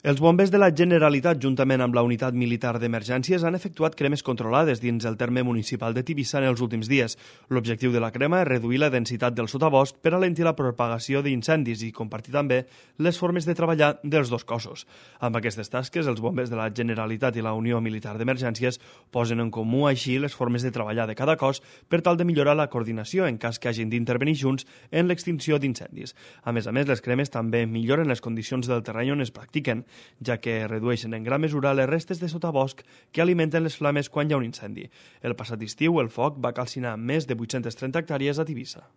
Els bombers de la Generalitat, juntament amb la Unitat Militar d'Emergències, han efectuat cremes controlades dins el terme municipal de Tivissa en els últims dies. L'objectiu de la crema és reduir la densitat del sotabosc per alentir la propagació d'incendis i compartir també les formes de treballar dels dos cossos. Amb aquestes tasques, els bombers de la Generalitat i la Unió Militar d'Emergències posen en comú així les formes de treballar de cada cos per tal de millorar la coordinació en cas que hagin d'intervenir junts en l'extinció d'incendis. A més, les cremes també milloren les condicions del terreny on es practiquen, ja que redueixen en gran mesura les restes de sotabosc que alimenten les flames quan hi ha un incendi. El passat estiu, el foc va calcinar més de 830 hectàrees a Tivissa.